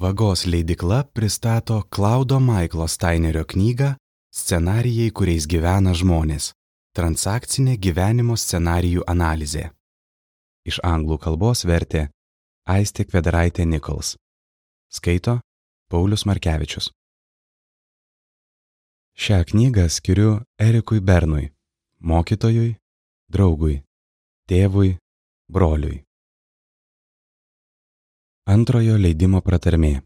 Vagos leidykla pristato Klaudo Maiklo Steinerio knygą Scenarijai, kuriais gyvena žmonės. Transakcinė gyvenimo scenarijų analizė. Iš anglų kalbos vertė Aistė Kvedaraitė Nichols. Skaito Paulius Markevičius. Šią knygą skiriu Erikui Bernui, mokytojui, draugui, tėvui, broliui. Antrojo leidimo pratarmė.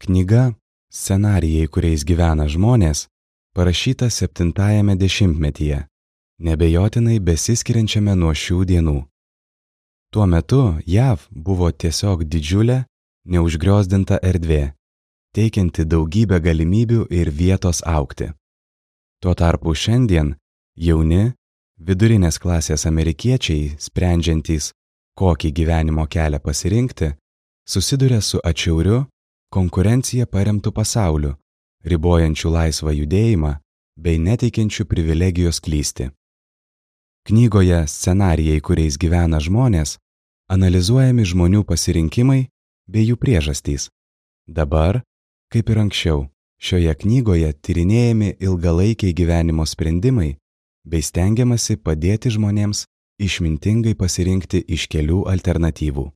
Knyga Scenarijai, kuriais gyvena žmonės, parašyta 7-ajame dešimtmetyje, nebejotinai besiskiriančiame nuo šių dienų. Tuo metu JAV buvo tiesiog didžiulė, neužgriozdinta erdvė, teikianti daugybę galimybių ir vietos augti. Tuo tarpu šiandien jauni, vidurinės klasės amerikiečiai, sprendžiantys, kokį gyvenimo kelią pasirinkti, susiduria su atšiauriu, konkurencija paremtų pasauliu, ribojančių laisvą judėjimą bei neteikiančių privilegijos klysti. Knygoje Scenarijai, kuriais gyvena žmonės, analizuojami žmonių pasirinkimai bei jų priežastys. Dabar, kaip ir anksčiau, šioje knygoje tyrinėjami ilgalaikiai gyvenimo sprendimai bei stengiamasi padėti žmonėms išmintingai pasirinkti iš kelių alternatyvų.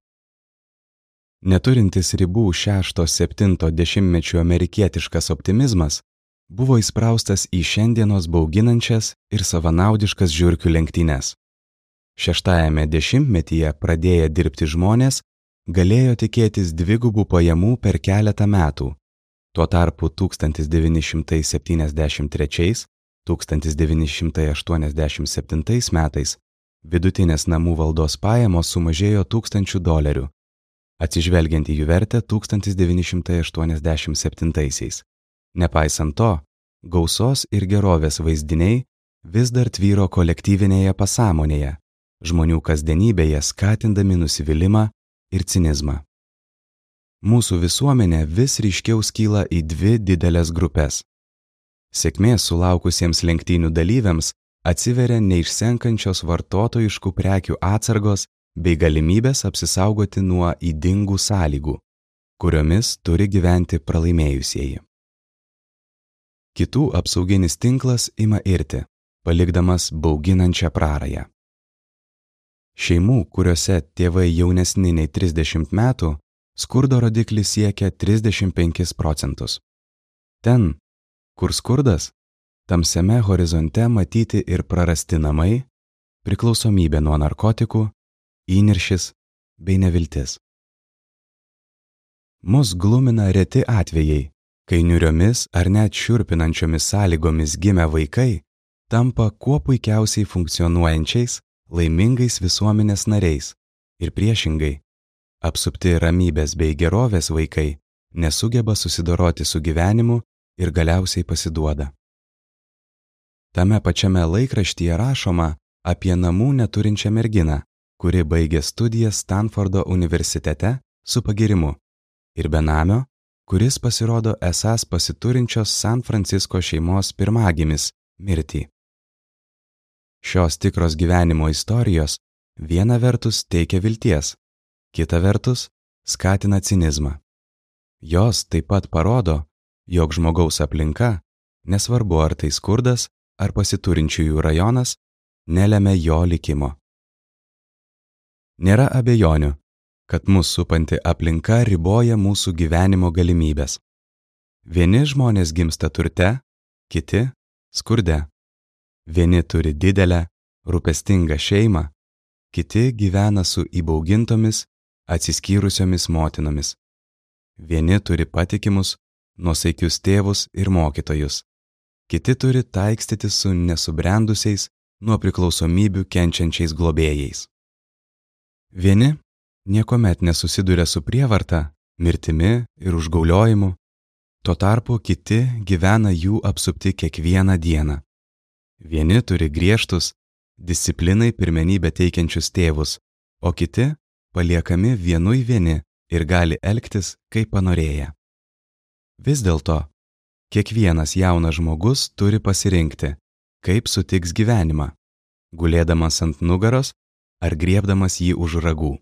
Neturintis ribų 6-7 dešimtmečių amerikietiškas optimizmas buvo įspraustas į šiandienos bauginančias ir savanaudiškas žiurkių lenktynes. 6-ajame dešimtmetyje pradėję dirbti žmonės galėjo tikėtis dvigubų pajamų per keletą metų. Tuo tarpu 1973–1987 metais vidutinės namų valdos pajamos sumažėjo $1000, atsižvelgiant į jų vertę 1987. Nepaisant to, gausos ir gerovės vaizdiniai vis dar tvyro kolektyvinėje pasąmonėje, žmonių kasdienybėje skatindami nusivylimą ir cinizmą. Mūsų visuomenė vis ryškiau skyla į dvi didelės grupės. Sėkmės sulaukusiems lenktynių dalyviams atsiveria neišsenkančios vartotojiškų prekių atsargos bei galimybės apsisaugoti nuo ydingų sąlygų, kuriomis turi gyventi pralaimėjusieji. Kitų apsauginis tinklas ima irti, palikdamas bauginančią prarają. Šeimų, kuriuose tėvai jaunesni nei 30 metų, skurdo rodiklis siekia 35%. Ten, kur skurdas, tamsiame horizonte matyti ir prarasti namai, priklausomybė nuo narkotikų, įniršis bei neviltis. Mus glumina reti atvejai, kai niūriomis ar net šiurpinančiomis sąlygomis gimę vaikai tampa kuo puikiausiai funkcionuojančiais, laimingais visuomenės nariais ir priešingai, apsupti ramybės bei gerovės vaikai nesugeba susidoroti su gyvenimu ir galiausiai pasiduoda. Tame pačiame laikraštyje rašoma apie namų neturinčią merginą, kuri baigė studijas Stanfordo universitete su pagyrimu, ir benamio, kuris pasirodo esąs pasiturinčios San Francisco šeimos pirmagimis mirtį. Šios tikros gyvenimo istorijos viena vertus teikia vilties, kita vertus skatina cinizmą. Jos taip pat parodo, jog žmogaus aplinka, nesvarbu ar tai skurdas ar pasiturinčiųjų rajonas, nelemia jo likimo. Nėra abejonių, kad mus supanti aplinka riboja mūsų gyvenimo galimybės. Vieni žmonės gimsta turte, kiti skurde. Vieni turi didelę, rūpestingą šeimą, kiti gyvena su įbaugintomis, atsiskyrusiomis motinomis. Vieni turi patikimus, nuosaikius tėvus ir mokytojus. Kiti turi taikstyti su nesubrendusiais, nuo priklausomybių kenčiančiais globėjais. Vieni niekuomet nesusiduria su prievarta, mirtimi ir užgauliojimu, tuo tarpu kiti gyvena jų apsupti kiekvieną dieną. Vieni turi griežtus, disciplinai pirmenybę teikiančius tėvus, o kiti paliekami vienui vieni ir gali elgtis, kaip panorėję. Vis dėlto, kiekvienas jaunas žmogus turi pasirinkti, kaip sutiks gyvenimą, gulėdamas ant nugaros ar griebdamas jį už ragų.